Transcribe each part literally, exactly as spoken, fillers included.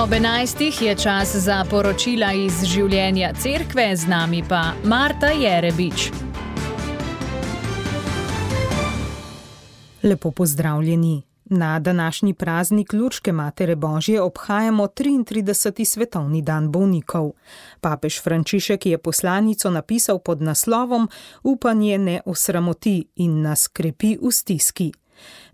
Ob enajstih je čas za poročila iz življenja cerkve, z nami pa Marta Jerebič. Lepo pozdravljeni. Na današnji praznik Lurške Matere Božje obhajamo triintrideseti svetovni dan bolnikov. Papež Frančišek je poslanico napisal pod naslovom Upanje ne osramoti in nas krepi v stiski.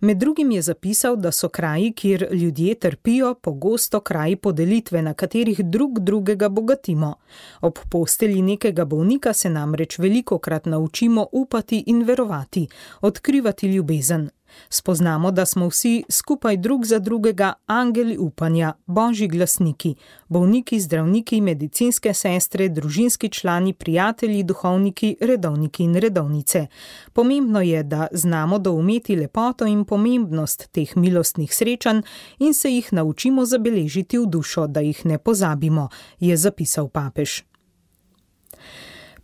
Med drugim je zapisal, da so kraji, kjer ljudje trpijo, pogosto kraji podelitve, na katerih drug drugega bogatimo. Ob postelji nekega bolnika se namreč velikokrat naučimo upati in verovati, odkrivati ljubezen. Spoznamo, da smo vsi skupaj drug za drugega angeli upanja, božji glasniki, bolniki, zdravniki, medicinske sestre, družinski člani, prijatelji, duhovniki, redovniki in redovnice. Pomembno je, da znamo doumeti lepoto in pomembnost teh milostnih srečanj in se jih naučimo zabeležiti v dušo, da jih ne pozabimo, je zapisal papež.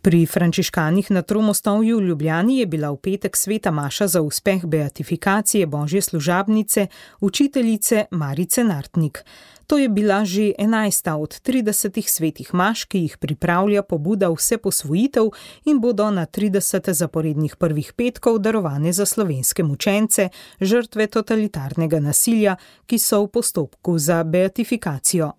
Pri frančiškanih na Tromostovju v Ljubljani je bila v petek sveta maša za uspeh beatifikacije božje služabnice, učiteljice Marice Nartnik. To je bila že enajsta od tridesetih svetih maš, ki jih pripravlja pobuda Vseposvojitev in bodo na trideset zaporednih prvih petkov darovane za slovenske mučence, žrtve totalitarnega nasilja, ki so v postopku za beatifikacijo.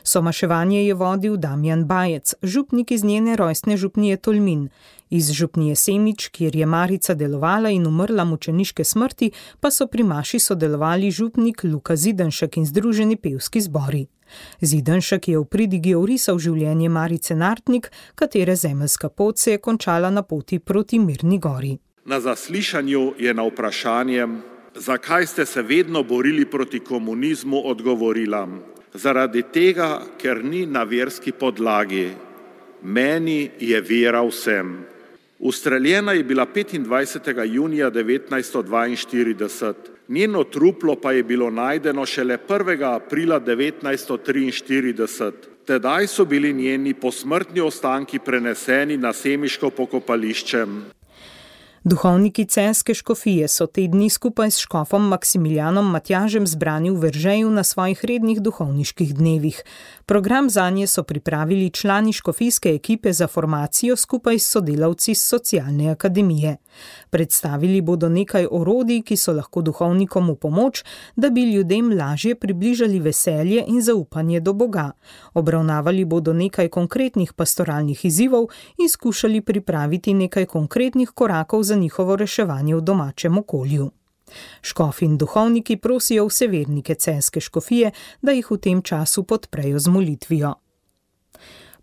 Somaševanje je vodil Damjan Bajec, župnik iz njene rojstne župnije Tolmin. Iz župnije Semič, kjer je Marica delovala in umrla mučeniške smrti, pa so pri maši sodelovali župnik Luka Zidanšek in združeni pevski zbori. Zidanšek je v pridigi orisal življenje Marice Nartnik, katere zemeljska pot se je končala na poti proti Mirni gori. Na zaslišanju je na vprašanje, zakaj ste se vedno borili proti komunizmu, odgovorila: zaradi tega, ker ni na verski podlagi. Meni je vera vsem. Ustreljena je bila petindvajsetega junija devetnajststo dvainštirideset. Njeno truplo pa je bilo najdeno šele prvega aprila devetnajststo triinštirideset. Tedaj so bili njeni posmrtni ostanki preneseni na semiško pokopališče. Duhovniki celjske škofije so te dni skupaj s škofom Maksimilijanom Matjažem zbrani v Veržeju na svojih rednih duhovniških dnevih. Program zanje so pripravili člani škofijske ekipe za formacijo skupaj s sodelavci s socialne akademije. Predstavili bodo nekaj orodij, ki so lahko duhovnikom v pomoč, da bi ljudem lažje približali veselje in zaupanje do Boga. Obravnavali bodo nekaj konkretnih pastoralnih izzivov in skušali pripraviti nekaj konkretnih korakov za njihovo reševanje v domačem okolju. Škofi in duhovniki prosijo vse vernike celjske škofije, da jih v tem času podprejo z molitvijo.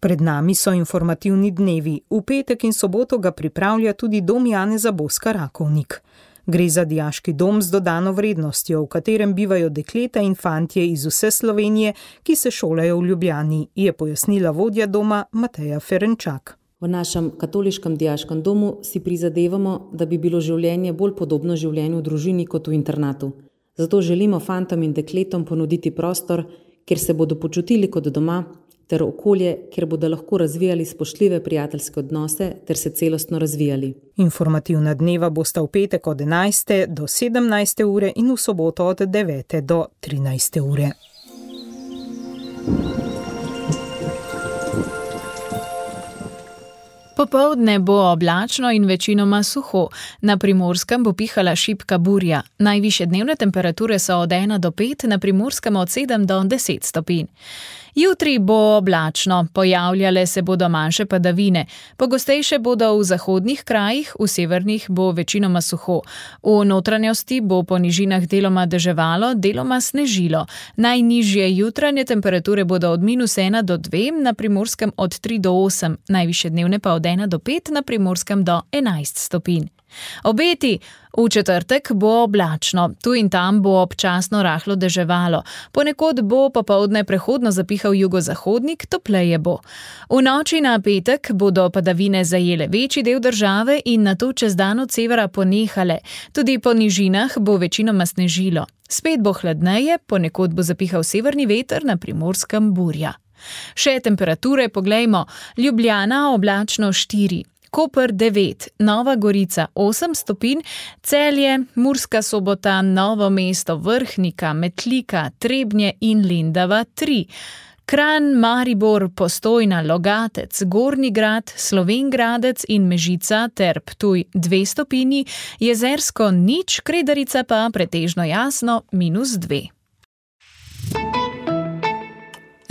Pred nami so informativni dnevi. V petek in soboto ga pripravlja tudi dom Janeza Boska Rakovnik. Gre za dijaški dom z dodano vrednostjo, v katerem bivajo dekleta in fantje iz vse Slovenije, ki se šolajo v Ljubljani, je pojasnila vodja doma Mateja Ferenčak. V našem katoliškem dijaškem domu si prizadevamo, da bi bilo življenje bolj podobno življenju v družini kot v internatu. Zato želimo fantom in dekletom ponuditi prostor, kjer se bodo počutili kot doma, ter okolje, kjer bodo lahko razvijali spoštljive prijateljske odnose ter se celostno razvijali. Informativna dneva bosta v petek od enajste do sedemnajste ure in v soboto od devete do trinajste ure. Popoldne bo oblačno in večinoma suho. Na Primorskem bo pihala šibka burja. Najvišje dnevne temperature so od ena do pet, na Primorskem od sedem do deset stopinj. Jutri bo oblačno, pojavljale se bodo manjše padavine. Pogostejše bodo v zahodnih krajih, v severnih bo večinoma suho. V notranjosti bo po nižinah deloma deževalo, deloma snežilo. Najnižje jutranje temperature bodo od minus ena do dve, na Primorskem od tri do osem, najvišje dnevne pa od ena do pet, na Primorskem do enajst stopinj. Obeti. V četrtek bo oblačno, tu in tam bo občasno rahlo deževalo, ponekod bo popoldne prehodno zapihal jugozahodnik, topleje bo. V noči na petek bodo padavine zajele večji del države in nato čez dan od severa ponehale. Tudi po nižinah bo večinoma snežilo. Spet bo hladneje, ponekod bo zapihal severni veter, na Primorskem burja. Še temperature poglejmo. Ljubljana oblačno štiri. Koper devet, Nova Gorica osem stopinj, Celje, Murska Sobota, Novo mesto, Vrhnika, Metlika, Trebnje in Lendava tri. Kranj, Maribor, Postojna, Logatec, Gornji Grad, Slovenj Gradec in Mežica ter Ptuj dve stopinji, Jezersko nič, Kredarica pa pretežno jasno minus dve.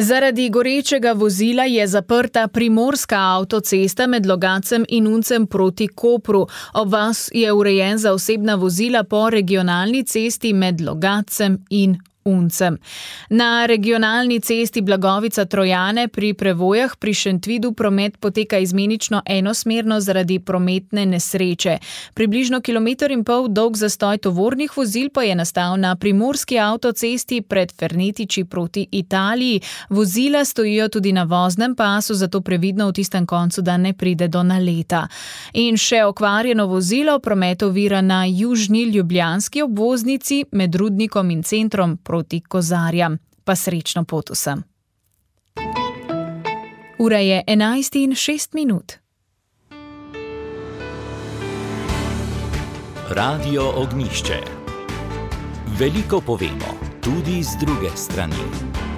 Zaradi gorečega vozila je zaprta primorska avtocesta med Logatcem in Uncem proti Kopru. Obvoz je urejen za osebna vozila po regionalni cesti med Logatcem in Uncem. Na regionalni cesti Blagovica-Trojane pri Prevojah pri Šentvidu promet poteka izmenično enosmerno zaradi prometne nesreče. Približno kilometer in pol dolg zastoj tovornih vozil pa je nastal na primorski avtocesti pred Fernetiči proti Italiji. Vozila stojijo tudi na voznem pasu, zato previdno v tistem koncu, da ne pride do naleta. In še okvarjeno vozilo promet ovira na južni ljubljanski obvoznici med Rudnikom in centrom proti Kozarjam. Pa srečno pot vsem. Ura je enajst in šest minut. Radio Ognjišče. Veliko povemo, tudi z druge strani.